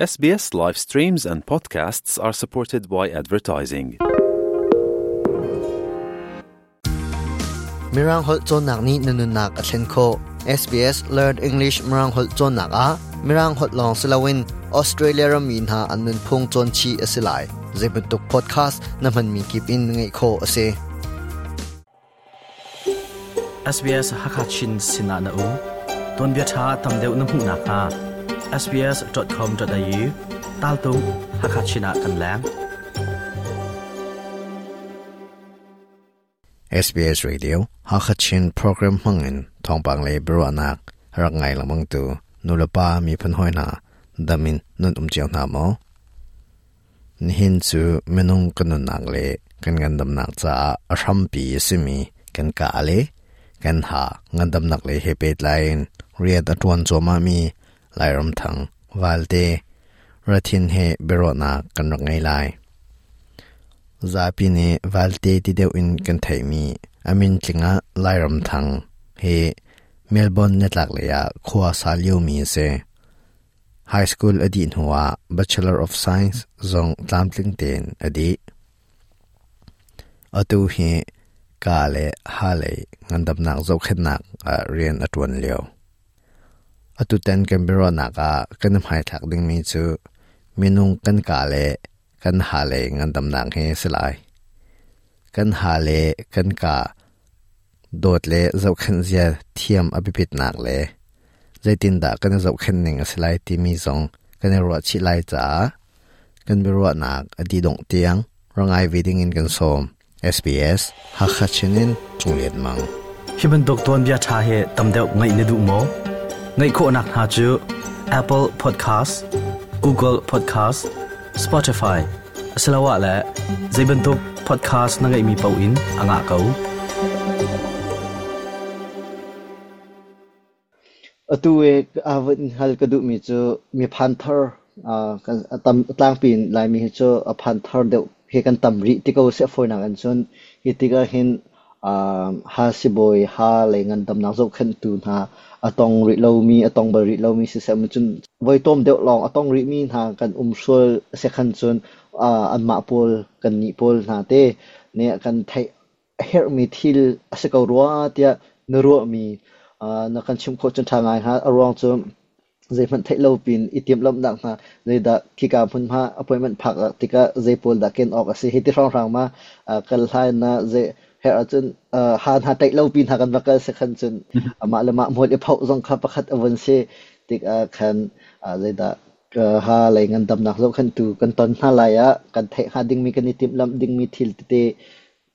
SBS live streams and podcasts are supported by advertising. Mirang holh cawnnak nih na nunnak a thlen khawh. SBS Learn English Mirang holh cawnnak ah Mirang holh lawng si loin Australia rammi hna an nunphung cawn chih a si lai. Zeibantuk podcast na hmanmi kip in ngaih khawh a si. SBS Hakachin sinah na um. Tuanbia ṭha tam deuh na hmuh nakhnga sbs.com.au taltung Hakachin ah kan leng. SBS Radio Hakachin program hmangin thawngpang le biaruahnak rak ngai lengmang tu nulepa miphun hawi hna damin nun um cio hna maw? Nihin cu minung kan nunnak le kan ngandamnak caah a hrampi a simi kan kaa le kan ha ngandamnak lei he pehtlai in rian a ṭuan cuahmahmi Lairamthang Valte Rathin he biaruahnak kan rak ngei lai. Zapi nih Valte ti deuh in kan theihmi a min tling ah Lairamthang hi Melbourne nitlaklei ah khua sa liomi a si. High school a dih hnuah Bachelor of Science zong tlamtling tein a dih. Atu hi ka le ha lei ngandamnak zohkhenhnak ah rian a ṭuan lio. Atutan kan biaruahnak ah kan i hmaithlak dingmi cu minung kan ka le kan ha lei ngandamnak hi a si lai. Kan ha le kan ka dawt le zohkhenh zia thiam a biapitnak le zeitindah kan i zohkhenh ning a si lai timi zong kan i ruah chih lai caah kan biaruahnak a dih dongh tiang ra ngai ve ding in kan sawm. SBS Hakha Chin in Cung Mang. Hi bantuk tuanbia ṭha hi tam deuh ngaih na duh maw? Ngaih khawhnak hna cu Apple Podcast, Google Podcast, Spotify asiloah le zei bantuk podcast na ngeihmi paoh in a ngah ko. Atu i van hal ka duhmi cu mi phan thar kan tam tlangpi in Laimi hi cu a phan thar deuh he kan tam rih ti ko seh fawinak in cun hi tikah hin ha sibawi ha lei ngandamnak zohkhenhtu hna a tong rih lomi a tong bal rih lomi siseh cun voi tlawm deuh lawng a tong rihmi hna kan um sual sekhan cun anmah pawl kannih pawl hna te nih kan theih a herhmi thil a si ko rua tiah na ruahmi na kan chimh khawh cun ṭha ngai hnga. A ruang cu zeihmanh theih lo pin i timhlamhnak hna zeidah khika hmunhma appointment phak tikah zei pawl dah ken awk a si hi ti hrawnghrang ma kal hlai na zei herh ahcun ha hna ṭaih lo pi hna kan va kal si khan cun amah le mah hmual i phoh zong kha pakhat a vun si tikah khan zeidah ha lei ngandamnak zohkhenhtu kan ton hna lai ah kan theih hnga dingmi kan i timhlamh dingmi thil tete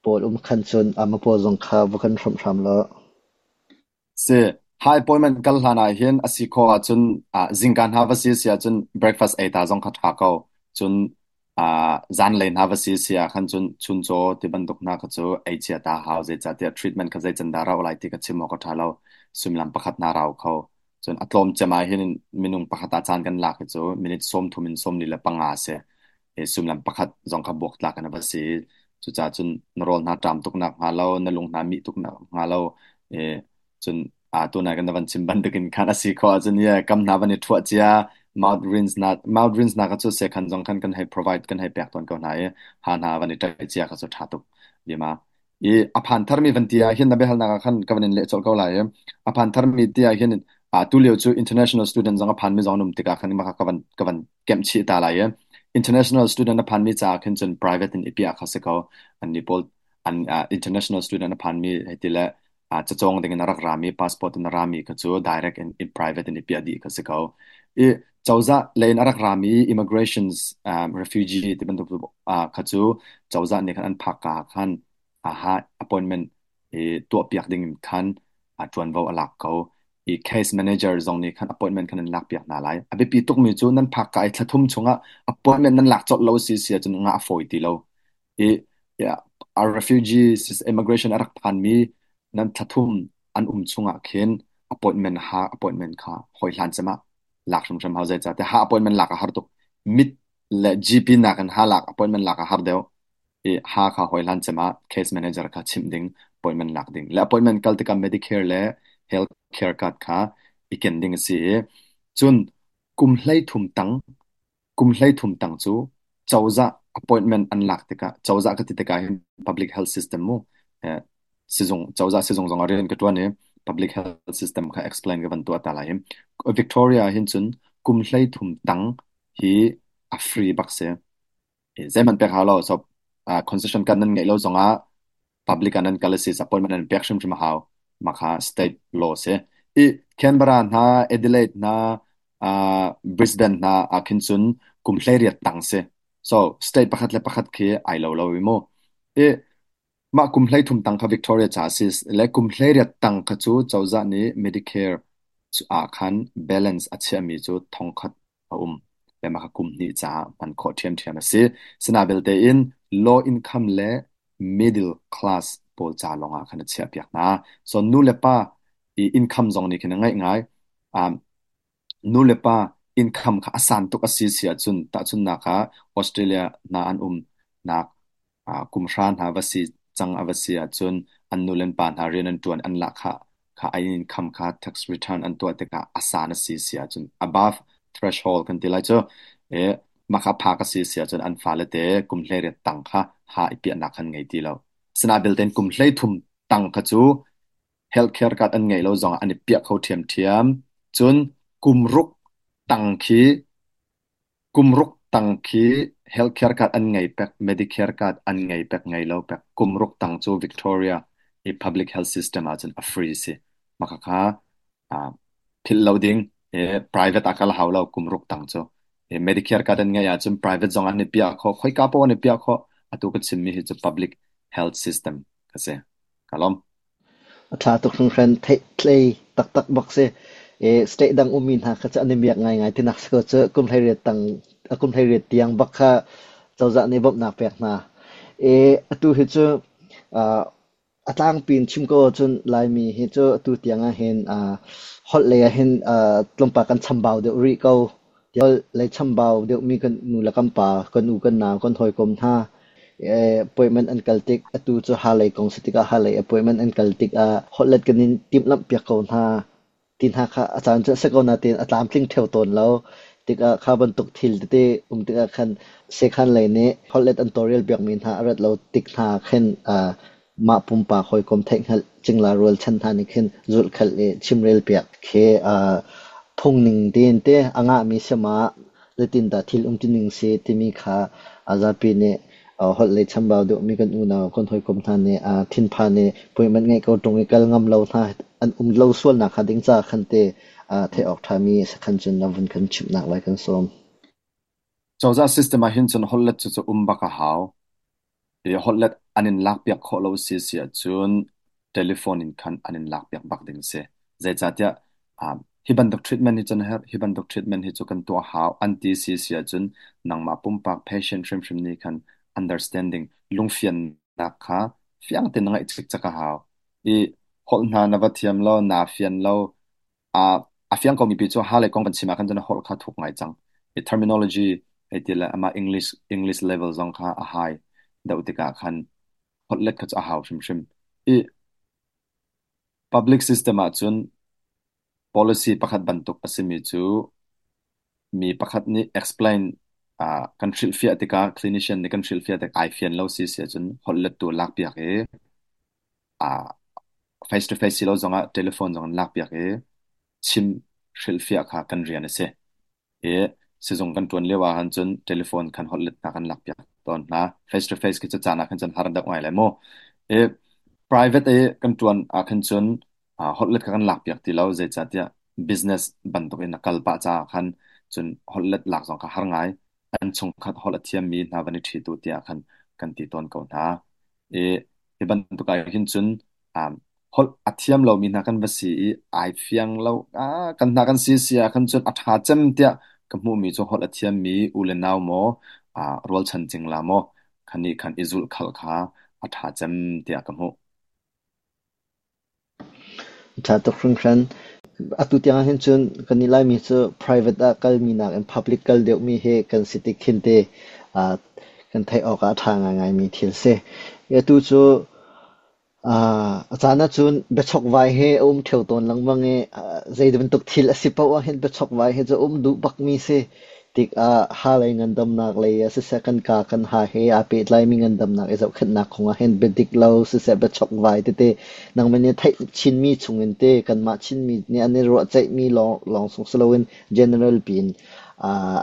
pawl um khan cun ama pawl zong kha va kan hrawmh hram law. Si, high appointment kal hlan ah hin a si khawh ahcun zingka hna va si si ahcun breakfast ei ta zong kha ṭha ko. Cun zanlei hna va si si ah khan cun chuncaw ti bantuk hna kha cu ei cia ta hau. Zeicahtiah treatment kha zei can dah rauh lai ti kha chim awk a ṭha lo. Suimilam pakhat hna rau kho. Cun a tlawm cem ah hin minung pakhat ah caan kan lak hi cu minute 30 in 45 a si. I suimilam pakhat zong kha buaktlak in a va si. Cucaah cun na rawl hna ṭam tuk nak hnga lo, na lung hna mih tuk nak hnga lo, i cun tunai kan van chim bantukin khan a si khawh ahcun ye kam hna van i ṭhuah cia mouth rinse na mouth rinse na ka cu sekhan zong khan kan hei provide kan hei pek tawn ko hna i ha hna van i ṭaih cia kha cu ṭha tuk lima i a phan tharmi van ti ah hin na biahalnak ah khan ka van in leh colh ko lai i a phan tharmi ti ah hin tu lio cu international student zong a phanmi zong an um tikah khan mah kha ka van kemh chih ta lai i international student a phanmi caah khin cun private in i piah kha si ko. An nih pawl an international student a phanmi hei ti le cacawng ding in a rak rami passport in a rami kha cu direct in private in i piah dih kha si ko. I cozah lei in a rak rami immigrations refugee ti bantuk kha cu cozah nih khan an phak ka khan aha appointment i tuahpiak ding in khan ṭuanvo a lak ko. I case manager zong nih khan appointment khan an lakpiak hna lai. A biapi tukmi cu nan phak ka i thla thum chungah appointment nan lak colh lo si si ahcun ngah a fawi ti lo. I yeah, refugees immigration a rak phanmi nan thla thum an um chungah khin appointment ha appointment kha hoi hlan cem ah lak hrimhrim hau. Zeicahtiah ha appointment lak a har tuk. Mit le GP nakin ha lak appointment lak a har deuh. I ha kha hoi hlan cem ah case manager kha chimh ding, appointment lak ding le appointment kal tikah Medicare le health care card kha i ken ding a si. I cun kum 13 tang Kum 13 tang cu cozah appointment an lak tikah, cozah ka ti tikah hin public health system mu, sizung, cozah sizung zong ah rian ka ṭuan i public health system kha explain ka van tuah ta lai hi. Victoria ah hin cun kum 13 tang hi a free bak si. Zeihmanh pek hau lo. So, concession card nan ngeih lo zongah public ah nan kal a si, appointment nan pek hrimhrim a hau. Mah kha state law si. I Canberra hna, Adelaide hna, Brisbane hna ah khin cun kum 18 tang si. So, state pakhat le pakhat khi ai lo lo i mu. I mah kum 13 tang kha Victoria ca a si le kum 18 tang kha cu cozah nih Medicare ah khan balance a chiahmi cu 1000 a um. Le mah kha kum hnih caah hman khawh ṭhiamṭhiam a si. Sinabelte in low income le middle class pawl ca lawngah khan a chiahpiak hna. So nu le pa i income zong nih khin a ngaih ngai. Nu le pa income kha a san tuk a si si ahcun tahchunhnak ah Australia hna an umnak kum hra hna va si cang a va si ahcun an nu le an pa hna rian an ṭuan an lahkhah kha an income kha tax return an tuah tikah a san a si si ahcun above threshold kan ti lai cu mah kha phak a si si ahcun an fale te kum 18 tang kha ha i piahnak khan ngei ti lo. Asinain belte kum 13 tang kha cu healthcare card an ngeih lo zongah an i piah kho ṭhiamṭhiam. Cun kum ruk tang khi Kum ruk tang khi healthcare card an ngei pek, Medicare card an ngei pek, ngei lo pek. Kum ruk tang cu Victoria i public health system ahcun a free si. Mah khakha philh lo ding. Private ah kal hau lo kum ruk tang cu. Medicare card an ngeih ahcun private zong an i piah khawh, khoika paoh an i piah khawh. Atu ka chimmi hi cu public health system ka si. Ka lawm. A ṭha tuk hringhran. Theihtlei taktak bak si. State dang ummi hna kha cu an i miak ngaingai tinak si ko cu. Kum 18 tang, kum 18 tiang bak kha cozah nih bawmhnak pek hna. Atu hi cu a tlangpi in chim ko ahcun Laimi hi cu atu tiang ahhin holh lei ahhin tlawmpal kan chambau deuh rih ko. Holh lei chambau deuhmi kan nu le kan pa, kan u kan nau, kan hawikom hna appointment an kal tik atu cu halei kong si tikah halei appointment an kal tikah holhlet kan in timhlamh piak ko hna ti hna kha a caan cu a si ko nain a tlamtling ṭheo tawn lo. Tikah kha bantuk thil tete um tikah khan sekhan lei nih holhlet an tawlrel piakmi hna a rat lo tik hna khin mah pumpak hawikom theihhngalh cingla rualchan hna nih khin zulhkhalh i chimrel piak khi phungning tein te a ngahmi si ma zeitindah thil umtuning si timi kha zapi nih holh lei chambau deuhmi kan unau kan hawikom hna nih thinphan i appointment ngeih ko ṭung i kal ngam lo hna an um lo sualnak hnga ding ca khan te theih awk ṭhami sakhan cun na vun kan chimhnak lai kan sawm. Cozah system ah hin cun holhlet cu cu um bak a hau. I holhlet an in lakpiak khawh lo si si ahcun telephone in khan an in lakpiak bak ding a si. Zeicahtiah hi bantuk treatment hi cu na herh, hi bantuk treatment hi cu kan tuah hau an ti si si ahcun nangmah pumpak patient hrimhrim nih khan understanding lungfiannak kha fiang tein na ngeih cikcek a hau. I holh hna na va thiam lo, naa fian lo, A fiang komi pi cu ha le kong kan chim ah khan cun a holh kha thuk ngai cang. I terminology hei ti le amah English level zong kha a high deuh tikah khan holhlet kha cu a hau hrimhrim. I public system ahcun policy pakhat bantuk a simi cu mi pakhat nih explain kan hrilhfiah tikah clinician nih kan hrilhfiah tik ai fian lo si si ahcun holhlettu lakpiak i face to face si lo zongah telephone zong an lakpiak i chim hrilhfiah kha kan rian a si. I sizung kan ṭuan lio ahhan cun telephone khan holhletnak an lakpiak tawn hna. Face to face khi cu caan ah khan cun har deuh ngai lai mu. I private i kan ṭuan ah khan cun holhlet kha kan lakpiak ti lo. Zeicahtiah business bantuk in a kal pah caah khan cun holhlet lak zong kha har ngai. An chungkhat holh a thiammi hna van i ṭhi tu tiah khan kan ti tawn ko hna. I hi bantuk ah hin cun holh a thiam lomi hna kan va si i ai fiang lo kan hna kan si si ah khan cun a ṭha cem tiah ka hmuhmi cu holh a thiammi u le nau maw rualchan cingla maw khan nih khan i zulhkhalh kha a ṭha cem tiah ka hmuh. Ṭha tuk hringhran. Atu tiang ah hin cun kan nih Laimi cu private ah kalmi nakin public kal deuhmi hi kan si tik khin te kan theih awk ah a ṭha ngaingaimi thil si. Atu cu a caan ahcun biachokvai hi a um ṭheo tawn lengmang i zei bantuk thil a si paoh ah hin biachokvai hi cu a um duh bakmi si. Tikah ha lei ngandamnak lei ah siseh kan ka kan ha he aa pehtlaimi ngandamnak i zohkhenhnak kong ah hin biadik lo siseh biachokvai tete nangmah nih theih chinmi chungin te kanmah Chinmi nih an i ruahceihmi lawng lawng sung si loin general piin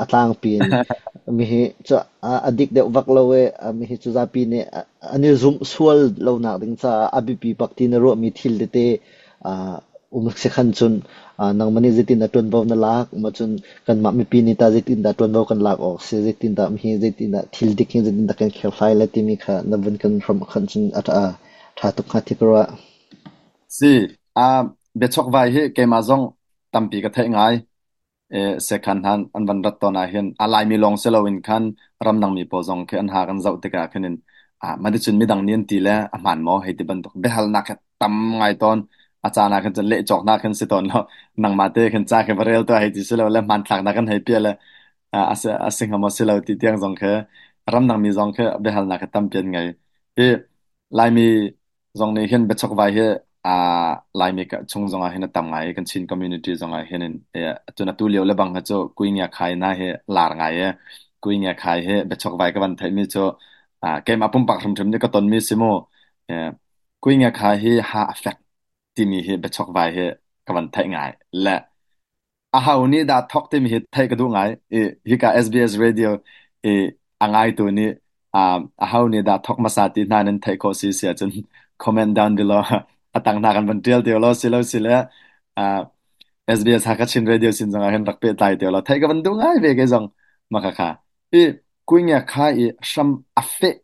a tlangpi in mihi cu a dik deuh vak lo i mihi cu zapi nih an i zumh sual lonak ding caah a biapi bak ti na ruahmi thil tete um si khan cun nangmah nih zeitindah ṭuanvo na lak ma cun kanmah mipi nih tah zeitindah ṭuanvo kan lak awk si zeitindah mihi zeitindah thil dik hi zeitindah kan kherhhlai lai timi kha na vun kan hrawmh khan cun a ṭha tuk hnga ti ka ruah. Si, biachokvai hi keimah zong tampi ka theih ngai. Sekhan han an van rat tawn ahhin a Laimi lawng si loin khan ramdangmi pawl zong khi an ha kan zoh tikah khin in mah cun midang nih an ti le a hmaan maw hei ti bantuk biahalnak hi tam ngai tawn. A caan ah khin cun leh cawknak khin si tawn lo. Nangmah te khin ca khi va rel tuah hei ti si lo le hmanthlaknak kan hei piah le a si hnga maw si lo ti tiang zong khi ramdangmi zong khi biahalnak hi tampi an ngei. Hi Laimi zong nih hin biachokvai hi Laimi chung zongah hin a tam ngai i kan Chin community zongah hin in cun atu lio le bang hi cu kui ngia khai na hi lar ngai i kui ngia khai hi biachokvai ka van theihmi cu keimah pumpak hrimhrim nih ka tonmi si mu kui ngia khai hi ha a fek timi hi biachokvai hi ka van theih ngai le Aho nih dah thawk timi hi theih ka duh ngai. I hika SBS radio i a ngaitu nih aho nih dah thawk hmasa ti hna nan theih khawh si si ahcun comment down below a tang hna kan van ṭial te law si lo si le SBS Hakha Chin Radio sin zongah hin rak pehtlai te law theih ka van duh ngai ve kei zong maka kha. I kuingia kha i hram a feh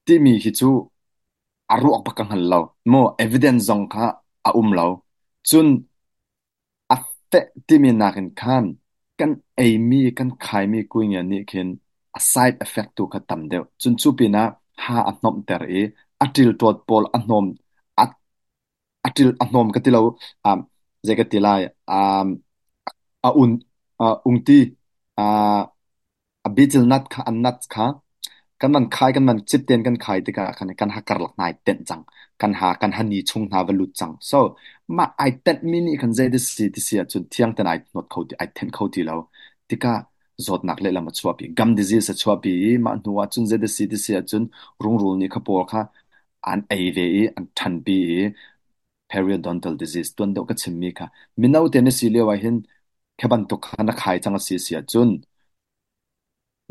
timi hi cu a ruak bak ka hngal lo. Mu evidence zong kha a um lo. Cun A feh timi nakin khan kan eimi kan khaimi kuingia nih khin a side effect tu kha tam deuh. Cun cu pinah ha a hnomhter i a ṭilṭawt pawl a hnawm a a ṭil a hnawm ka ti lo um, zei ka ti lai um, a un ungti a betel nut kha an nut kha kan van khai kan van cip tein kan khai tikah khan kan ha karlak hna ai tenh cang kan ha kan hani chung hna va lut cang so mah ai tenh mi nih khan zei ti si ti si ahcun thiang ten ai hnawt kho ti ai thenh kho ti lo tikah zawtnak lehlam a chuahpi gum disease a chuahpi i mah hnu ah cun zei ti si ti si ahcun rungrul nih kha pawl kha an ei ve i an ṭhanpi i periodontal disease tuan deuh ka chimmi kha mino te na si lio ah hin Khi bantuk kha na khai cang a si si ahcun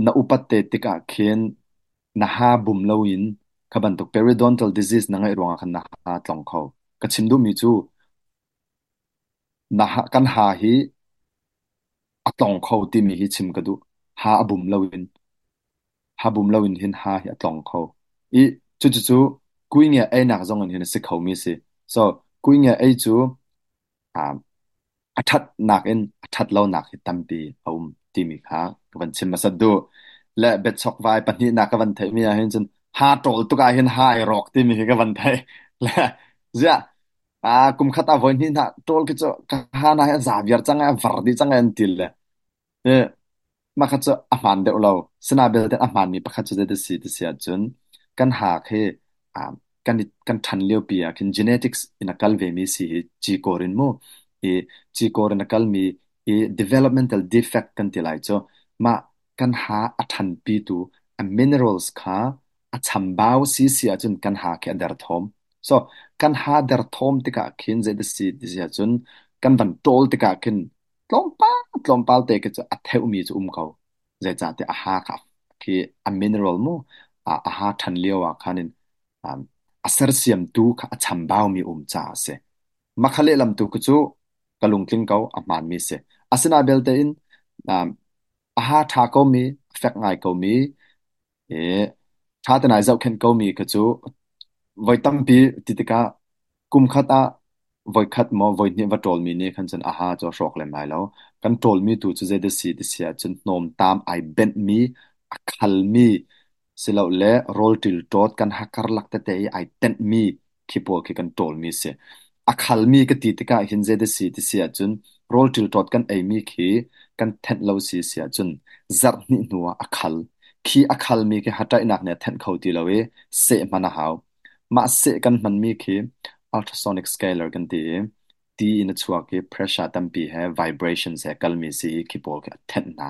na upat te tikah khin na ha bum loin kha bantuk periodontal disease na ngeih ruangah khan na ha tlong kho. Ka chim duhmi cu na ha, kan ha hi a tlong kho timi hi chim ka duh. Ha a bum loin ha bum loin hin ha hi a tlong kho. I cucucu kuingia einak zong in hin a si khomi a si. So kuingia ei cu a ṭhatnak in a ṭhat lonak hi tampi a um timi kha ka van chim hmasat duh. Le biachokvai pahnihnak ka van theihmi ah hin cun ha ṭawl tuk ah hin ha ai rawk timi hi ka van theih. Le ziah kum khat ah voi hnih hna ṭawl khi cu ka ha na hi a za viar cang ai a var dih cang ai an ti le Mah kha cu a hmaan deuh lo. Sina belte a hmaanmi pakhat cu zei si ti si ahcun kan haak hi kan i kan ṭhan liopi ah khin genetics in a kal vemi si hi cikawr in mu. I cikawr in a kalmi i developmental defect kan ti lai cu mah kan ha a ṭhanpitu a minerals kha a chambau si si ahcun kan ha khi a derthawm. So kan ha derthawm tikah khin zei si ti si ahcun kan van ṭawl tikah khin Tlawmpal tlawmpal te khi cu a theumi cu um ko. Zeicahtiah a ha kha khi a mineral mu a ha ṭhan lio ah khan in a sersiamtu kha a chambaumi um caah a si. Mah kha lehlam tu khi cu ka lungtling ko, a hmaanmi a si. Asinain belte in a ha ṭha komi, a fek ngai komi, i ṭha tein ai zohkhenh komi kha cu voi tampi ti tikah kum khat ah voikhat maw voihnih va ṭawlmi nih khan cun a ha cu a hrawk lem lai lo. Kan ṭawlmi tu cu zei dah si ti si ahcun hnawmtam ai benhmi, a khalmi silole rawl ṭilṭawt kan ha karlak tete i ai tenhmi khi pawl khi kan ṭawlmi a si. A khalmi ka ti tikah hin zei dah si ti si ahcun rawl ṭilṭawt kan eimi khi kan thenh lo si si ahcun zarh hnih hnu ah a khal. Khi a khalmi khi haṭaihnak nih a thenh kho ti lo i seh hman a hau. Mah seh kan hmanmi khi ultrasonic scaler kan ti i ti in a chuak i pressure tampi he vibrations he kalmi si i khi pawl khi a thenh hna.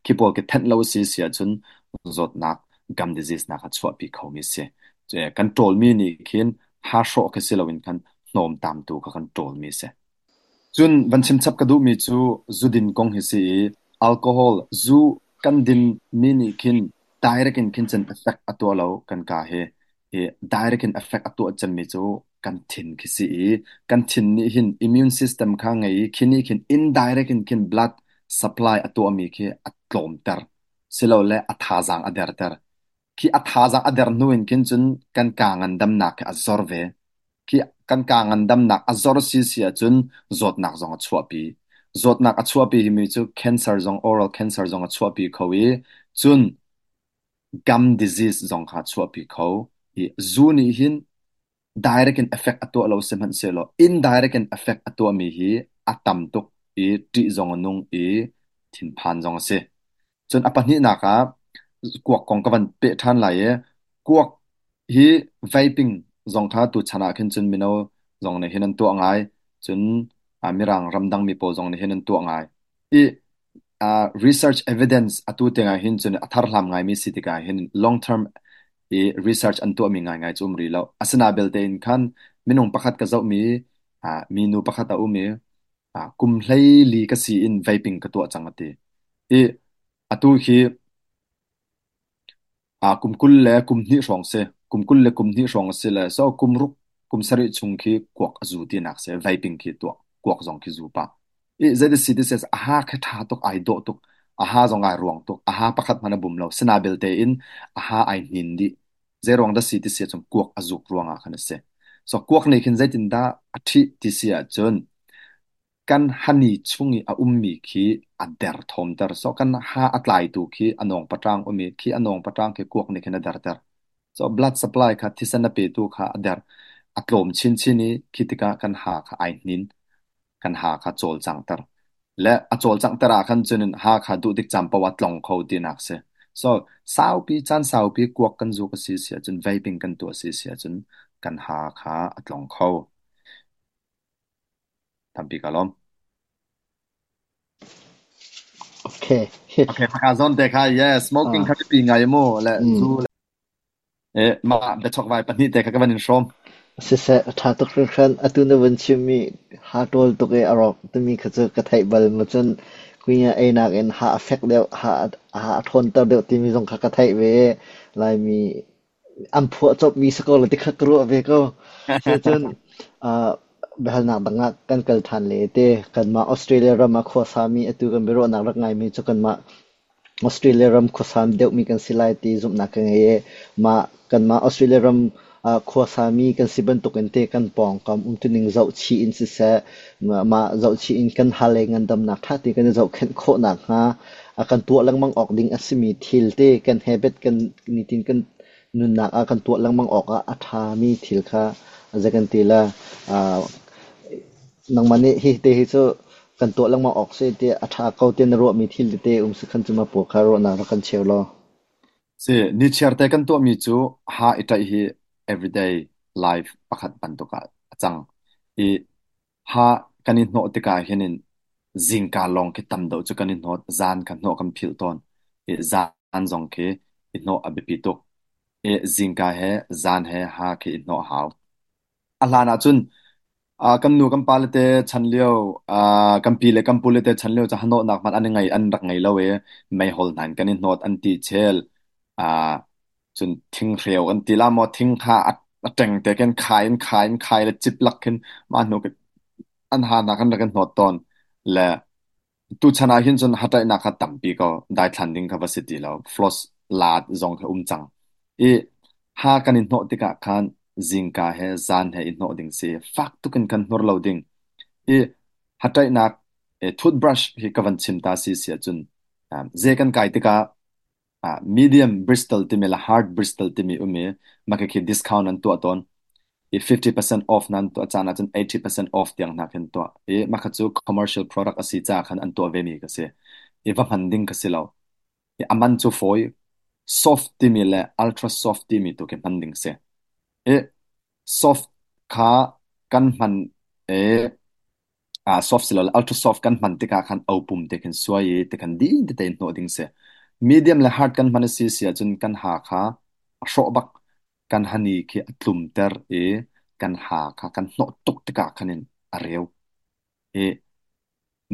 Khi pawl khi thenh lo si si ahcun zawtnak gum disease nak a chuahpi khomi si. Kan ṭawlmi nih khin ha hrawh khi si loin khan hnawmtam tu kha kan ṭawlmi si. Cun van chim chap ka duhmi cu zudin kong hi si i alcohol zu kan dinmi nih khin direct in khin cun effect a tuah lo kan ka hi. I direct in effect a tuah cemmi cu kan thin khi si i kan thin nih hin immune system kha ngei i khi nih khin indirect in khin blood supply a tuahmi khi a tlawmter silole a thazaang a derter. Khi a thazaang a der hnu in khin cun kan kaa ngandamnak khi a zor ve. Khi kan kaa ngandamnak a zor si si ahcun zawtnak zong a chuahpi. Zawtnak a chuahpi himi cu cancer zong oral cancer zong a chuahpi kho i cun gum disease zong kha a chuahpi kho. I zu nih hin direct in effect a tuah lo sihmanhsehlaw indirect in effect a tuahmi hi a tam tuk i ṭih zong a nung i thinphan zong a si. Cun a pahnihnak ah kuak kong ka van peh ṭhan lai i kuak hi vaping zong kha tuchan ah khin cun mino zong nih hin an tuah ngai. Cun Mirang ramdang mi pawl zong nih hin an tuah ngai. I research evidence atu tiang ah hin cun a tharhlam ngaimi si tikah hin long term i research an tuahmi ngaingai cu um rih lo. Asina belte in khan minung pakhat ka zohmi minu pakhat a um i kum 14 ka si in vaping ka tuah cang a ti. I atu hi kum 20 le kum hnih hrawng si. Kum 20 le kum hnih hrawng a si le so kum ruk kum sarih chung khi kuak a zu tinak si. Vaping khi tuah. Kuak zong khi zu pah. I zei si ti a ha khi ṭha tuk ai dawh tuk. A ha zong ai ruang tuk. A ha pakhat hmanh a bum lo. Sina belte in a ha ai hnin dih. Zei ruang dah si ti si ahcun kuak a zuk ruang ah khan a si. So kuak nih khin zeitindah a ṭhih ti si ahcun kan hani chung i a ummi khi a derthawmter. So kan ha a tlaitu khi a nawng paṭang um i khi a nawng paṭang khi kuak nih khin a derter. So blood supply kha thisen a petu kha a der. A tlawm chinchin i khi tikah kan ha kha ai hnin. Kan ha kha cawlcanghter. Le a cawlcanghter ah khan cun ha kha duh tik caan paoh ah tlong kho tinak si. So saupi caan saupi kuak kan zuk a si si ahcun vaping kan tuah a si si ahcun kan ha kha a tlong kho. Tampi ka lawm. Okay. Okay, maka zon te kha yes, smoking kha pi ngai mu le zu le mah biachokvai pahnih te kha ka van in hrawm. Siseh, a ṭha tuk hringhran. Atu na vun chimmi ha ṭawl tuk i a rawk timi kha cu ka theih bal ma cun kunya einak in ha a fek deuh, ha a ṭhawnter deuh timi zong kha ka theih ve i Laimi an phuah copmi si ko la ti kha ka ruah ve ko. Sicun biahalnak dang ah kan kal ṭhan le te kanmah Australia ram ah khuasami atu kan biaruahnak rak ngaimi cu kanmah Australia ram khuasa deuhmi kan si lai ti zumhnak ka ngei i mah kanmah Australia ram khuasami kan si bantukin te kan pawngkam umtuning zohchih in siseh, mah zohchih in kan hal le ngandamnak ṭha tein kan i zohkhenh khawh nakhnga a kan tuah lengmang awk ding a simi thil te kan habit kan nitin kan nunnak ah kan tuah lengmang awk ah a ṭhami thil kha zei kan ti le nangmah nih hi te hi cu kan tuah lengmang awk si tiah a ṭha ko tiah na ruahmi thil tete um si khan cu mah pawl kha ruahnak rak kan cheu law. Si, nichiar te kan tuahmi cu ha i ṭaih hi everyday life pakhat bantuk ah a cang. I ha kan i hnawh tikah hin in zingka lawng khi tam deuh cu kan i hnawt, zan kha hnawh kan philh tawn. I zan zong khi i hnawh a biapi tuk. I zingka he zan he ha khi i hnawh a hau. A hlan ahcun kan nu kan pale te chan lio kan pi le kan pule te chan lio cu hanawhnak hmanh an i ngei an rak ngei lo i meihol hna in kan i hnawt an ti chel. Cun thinghreu an ti la maw thing kha a ṭeng te khin khai in khai in khai le cip lak khin mah hnu an ha hna khan rak in hnawt tawn. Le Tuchan ah hin cun hataihnak kha tampi ko daithlan ding kha va si ti lo. Floss laat zong kha um cang. I ha kan i hnawh tikah khan zingka he zan he i hnawh ding si. Fak tuk in kan hnur lo ding. I hataihnak toothbrush hi ka van chim ta si si ahcun ze kan kai tikah medium Bristol timi le hard Bristol timi um i mah khikhi discount an tuah tawn i 50% off nan tuah caan ahcun 80% off tiang hna khin tuah i mah kha cu commercial product a si caah khan an tuah vemi ka si i va hman ding ka si lo i a man cu fawi soft timi le ultra soft timi tu khi hman ding si i soft kha kan hman i. Soft silole ultra soft kan hman tikah khan opum te khin suai i tikhan din tete in hnawh ding si. Medium le hard kan hman a si si ahcun kan ha kha a hrawh bak. Kan hani khi a tlumter i kan ha kha kan hnawh tuk tikah khan in a reu. I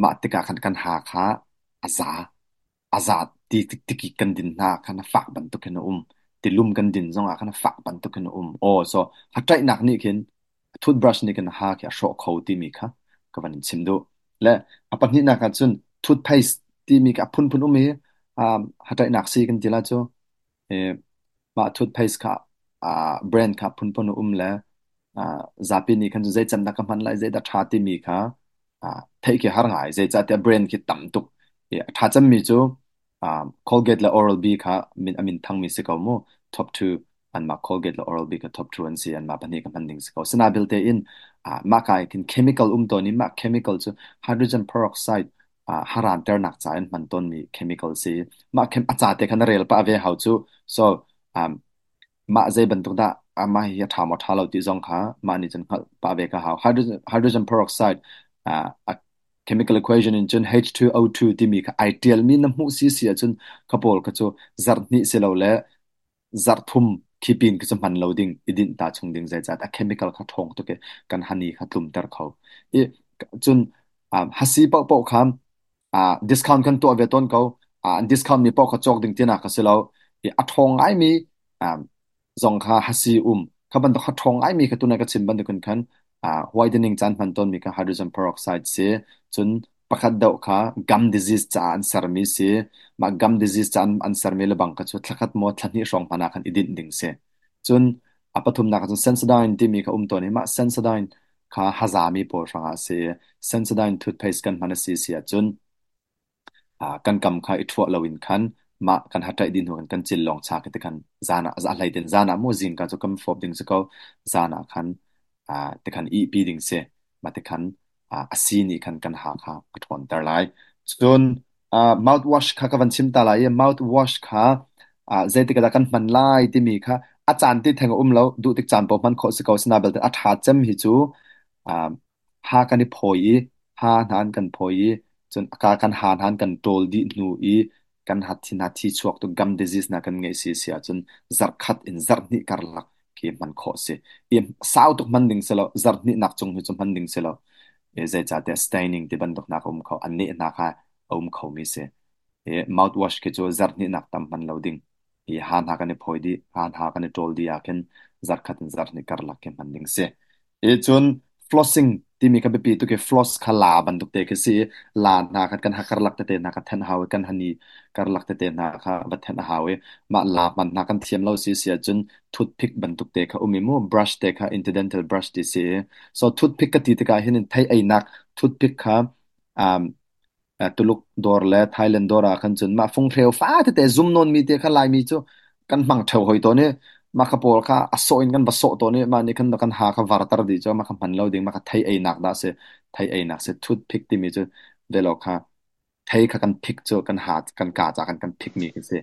mah tikah khan kan ha kha a za. A za ti tikik kan din hna khan a fak bantuk khin a um. Tilum kan din zongah khan a fak bantuk khin a um. Aw, so ha ṭaihnak nih khin toothbrush nih khin a ha khi a hrawh kho timi kha ka van in chim duh. Le a pahnihnak ah cun toothpaste timi kha a phunphun um i ha ṭaihnak sii kan ti la cu. Mah toothpaste kha brand kha phunphun a um le zapi nih khan zei cem dah ka hman lai, zeidah ṭha timi kha theih khi har ngai. Zeicahtiah brand khi tam tuk. A ṭha cemmi cu Colgate le Oral-B kha min a min thangmi si ko mu. Top two anmah Colgate le Oral-B kha top two an si. Anmah pahnih ka hman ding si ko. Sinain belte in mah ka ah khin chemical um tawn i mah chemical cu hydrogen peroxide haranternak ca in hman tawnmi chemical si. Mah chem a ca te kha na rel pah ve hau cu. So mah zei bantuk dah mah hi a ṭha maw ṭha lo ti zong kha mah nih cun hngalh pah ve ka hau. Hydrogen peroxide a chemical equation in cun H2O2 timi kha ai ṭialmi na hmuh si si ahcun kha pawl kha cu zarh hnih si lo le zarh thum khi pin khi cu hman lo ding i dinh ta chung ding zeicah a chemical kha ṭhawng tuk i kan hani kha tlumter kho. I cun hasi paohpaoh kha discount kan tuah ve tawn ko. An discount mi paoh kha cawk ding tinak kha si lo. I a ṭhawng ngaimi zong kha hasi um. Kha bantuk kha ṭhawng ngaimi kha tunai ka chim bantukin khan whitening caan hman tawnmi kha hydrogen peroxide si. Cun pakhat deuh kha gum disease caah an sermi si. Mah gum disease ca an sermi lebang kha cu thlakhat maw thlahnih hrawng hmanh ah khan i dinh ding si. Cun a pathumnak ah cun Sensodyne timi kha um tawn i mah Sensodyne kha hazami pawl hrangah a si. Sensodyne toothpaste kan hman a si si ahcun kan kam kha i ṭhuah loin khan mah kan haṭaih dih hnu khan kan cil lawng cha khi tikhan zan ah a hlei tin zan ah maw zingka cu kan fawp ding si ko zan ah khan tikhan ihpi ding si mah tikhan a si nih khan kan ha kha a ṭhawnter lai. Cun mouthwash kha ka van chim ta lai i mouthwash kha zeitik ah dah kan hman lai timi kha a caan ti theng a um lo duh tik caan paoh hman khawh si ko sina belte a ṭha cem hi cu ha kan i phawi i ha hna an kan phawi i cun a ka kan ha hna an kan ṭawl dih hnu i kan hathi hna thi chuak tu gum disease hna kan ngeih si si ahcun zarhkhat in zarhhnih karlak khi hman khawh si. I sau tuk hman ding si lo, zarhhnih nak cung hi cu hman ding si lo. I zeicahtiah staining ti bantuk hna kha um kho, an neh hna kha a um kho mi si. I mouthwash khi cu zarhhnih nak tam hman lo ding. I ha hna kan i phawi dih, ha hna kan i ṭawl dih ah khin zarhkhat in zarhhnih karlak khi hman ding si. I cun flossing timi kha biapi tuk i floss kha la bantuk te khi si i la hna kha kan ha karlak tete hna kha thenh hau i kan hani karlak tete hna kha va thenh a hau i mah la hman hna kan thiam lo si si ahcun toothpick bantuk te kha um i mu brush te kha interdental brush ti si i so toothpick ka ti tikah hin thei einak toothpick kha um, Tuluk dawr le Thailand dawr ah khan cun mah funghreu fa tete zum nawnmi te kha Laimi cu kan hmang ṭheo hoi tawn i mah kha pawl kha a sawh in kan va sawh tawn i mah nih khan kan ha kha varter dih cu mah kha hman lo ding mah kha thei einak dah si thei einak si toothpick timi cu velo kha thei kha kan phik cu kan ha kan ka ca kan kan phik mi khi si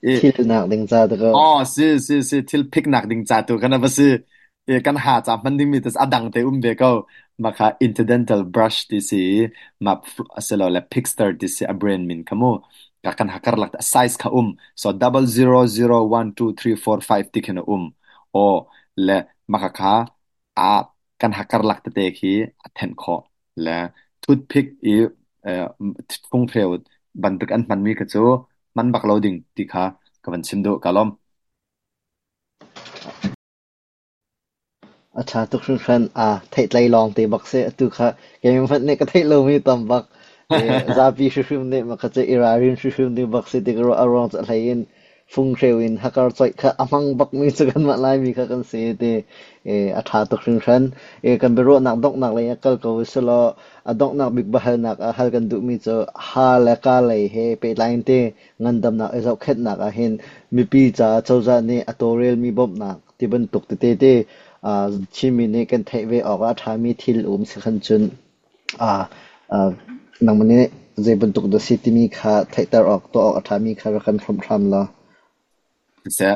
i Thilnak ding ca te ko. Aw si si si thil phik nak ding ca tu khan a va si i kan ha ca hman ding mi te a dang te um ve ko mah kha interdental brush ti si i mah asilole pixter ti si a brand min kha mu ka kan ha karlak a size kha um so 0001234 5 ti khin a um aw le mah kha kha a kan ha karlak tete khi a thenh khawh le toothpick i funghreu bantuk an hmanmi kha cu hman bak lo ding ti kha ka van chim duh ka lawm. A ṭha tuk hringhran. Aa theihtlei lawngte bak si. Atu kha keimah hmanh nih ka theih lomi tam bak. I zapi hrimhrim nih mah kha cu i ralrin hrimhrim ding bak si ti ka ruah. A ruang cu a hlei in funghreu in hakar coih kha a hmang bakmi cu kanmah Laimi kha kan si ti i a ṭha tuk hringhran. I kan biaruahnak donghnak lei ah kal ko usilaw a donghnak bik biahalnak ah hal kan duhmi cu ha le ka lei he pehtlai in ti ngandamnak i zohkhenhnak ah hin mipi caah cozah nih a tawlrelmi bawmhnak ti bantuk tete te Chinmi nih kan theih ve awk ah a ṭhami thil um si khan cun nangmah nih zei bantuk dah si timi kha theihter awk tuah awk a ṭhami kha rak kan hrawmh hram law. Siseh,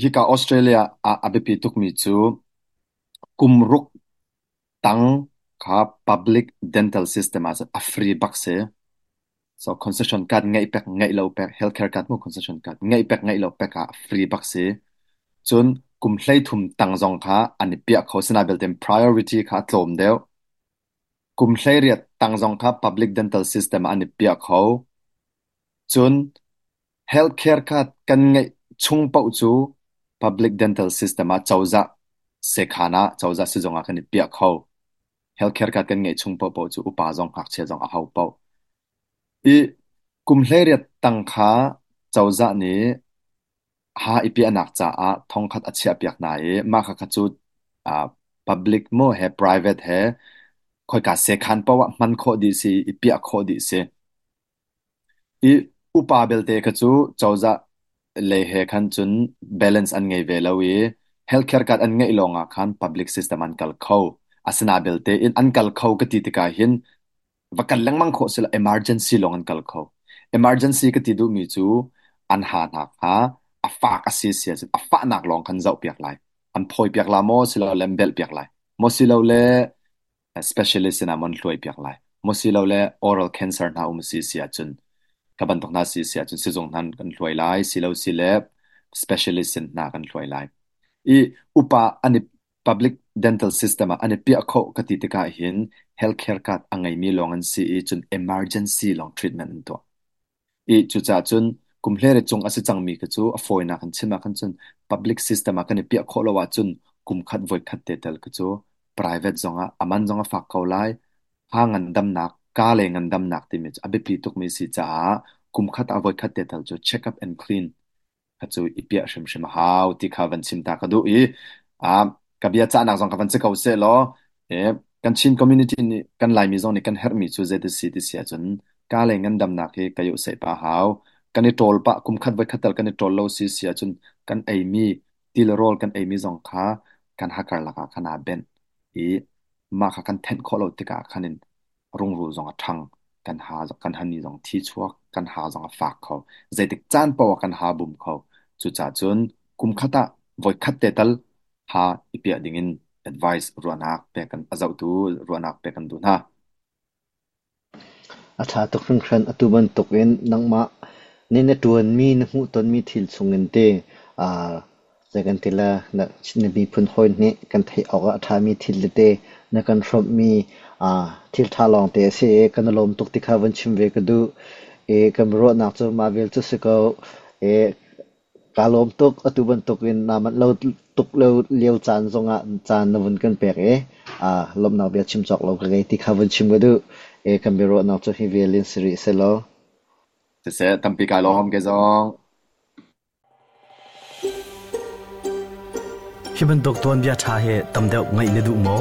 hika Australia ah a biapi tukmi cu kum ruk tang. Kha public dental system ah cun a free bak si. So concession card ngeih pek ngeih lo pek healthcare card mu concession card ngeih pek ngeih lo pek ah free bak si. Cun kum 13 tang zong kha an i piah kho sina belte priority kha a tlawm deuh. Kum 18 tang zong kha public dental system ah an i piah kho. Cun healthcare card kan ngeih chung paoh cu public dental system ah cozah sekhan ah cozah sizung ah kan i piah kho. Healthcare card kan ngeih chung paohpaoh cu upa zong ngakchia zong a ho paoh. I kum 18 tang kha cozah nih ha i piahnak caah thongkhat a chiahpiak hna i mah khakha cu public maw he private he khoika sekhan paoh ah hman khawh dih si i piah khawh dih si. I upa belte kha cu cozah lei he khan cun balance an ngei ve lo i healthcare card an ngeih lawngah khan public system an kal kho. Asina belte in an kal kho ka ti tikah hin va kal lengmang khawh si lo emergency lawng an kal kho. Emergency ka ti duhmi cu an ha hna kha a fak a si si ahcun a fahnak lawng khan zohpiak lai. An phawipiak la maw silole an belhpiak lai. Maw silole specialist sinah maw an hluaipiak lai. Maw silole oral cancer hna um si si ahcun ka bantuk hna si si ahcun sizung hna kan hluai lai silo sile specialist sin hna kan hluai lai. I upa an i public dental system ah an i piah khawh ka ti tikah hin healthcare card a ngeimi lawng an si i cun emergency lawng treatment an tuah. I cucaah cun kum hlere cung a si cangmi kha cu a fawinak in chim ah khan cun public system ah kan i piah khawh lo ahcun kum khat voi khat te tel kha cu private zongah a man zong a fak ko lai. Ha ngandamnak, ka le ngandamnak timi cu a biapi tukmi si caah kum khat ah voi khat te tal cu check up and clean kha cu i piah hrimhrim a hau ti kha van chim ta ka duh i ka bia cahnak zong ka van si ko seh law kan Chin community nih kan Laimi zong nih kan herhmi cu zei ti si ti si ahcun ka le ngandamnak hi ka iuh seih pah hau. Kan i ṭawl pah kum khat voi khat tal kan i ṭawl lo si si ahcun kan eimi ti le rawl kan eimi zong kha kan hakar lakah khan aa benh i mah kha kan thenh khawh lo tikah khan in rungrul zong a ṭhang, kan ha kan hani zong thi chuak, kan ha zong a fak kho. Zeitik caan paoh ah kan ha bum kho. Cucaah cun kum khat ah voikhat te tal ha i piah dingin advice ruahnak pek kan a zohtu ruahnak pek kan duh hna. A ṭha tuk hringhran. Atu bantukin nangmah nih na ṭuanmi, na hmuhtonmi thil chungin te zei kan ti le na miphun hawi nih kan theih awk ah a ṭhami thil tete na kan hrawmhmi thil ṭha lawngte a si i kan i lawm tuk ti kha vun chim ve ka duh. I kan biaruahnak cu mah vial cu si ko. I kaa lawm tuk. Atu bantukin naa manh lo tuk lio caan zongah caan na vun kan pek i lawmhnak bia chim cawk lo ka ngei ti kha vun chim ka duh. I kan biaruahnak cu hi vial in si rih sehlaw. Siseh, tampi kai lawm ke zong. Hi bantuk tuanbia ṭha hi tam deuh ngaih na duh maw?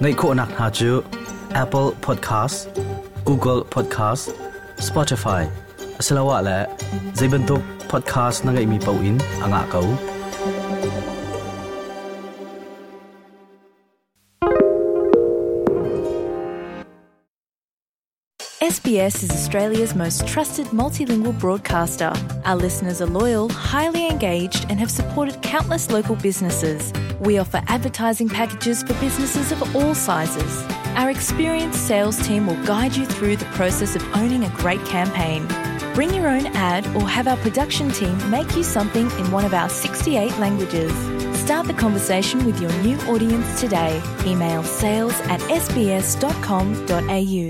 Ngaih khawhnak hna cu Apple Podcast, Google Podcast, Spotify asiloah le zei bantuk podcast na ngeihmi paoh in a ngah ko. SBS is Australia's most trusted multilingual broadcaster. Our listeners are loyal, highly engaged, and have supported countless local businesses. We offer advertising packages for businesses of all sizes. Our experienced sales team will guide you through the process of owning a great campaign. Bring your own ad or have our production team make you something in one of our 68 languages. Start the conversation with your new audience today. Email sales at sbs.com.au.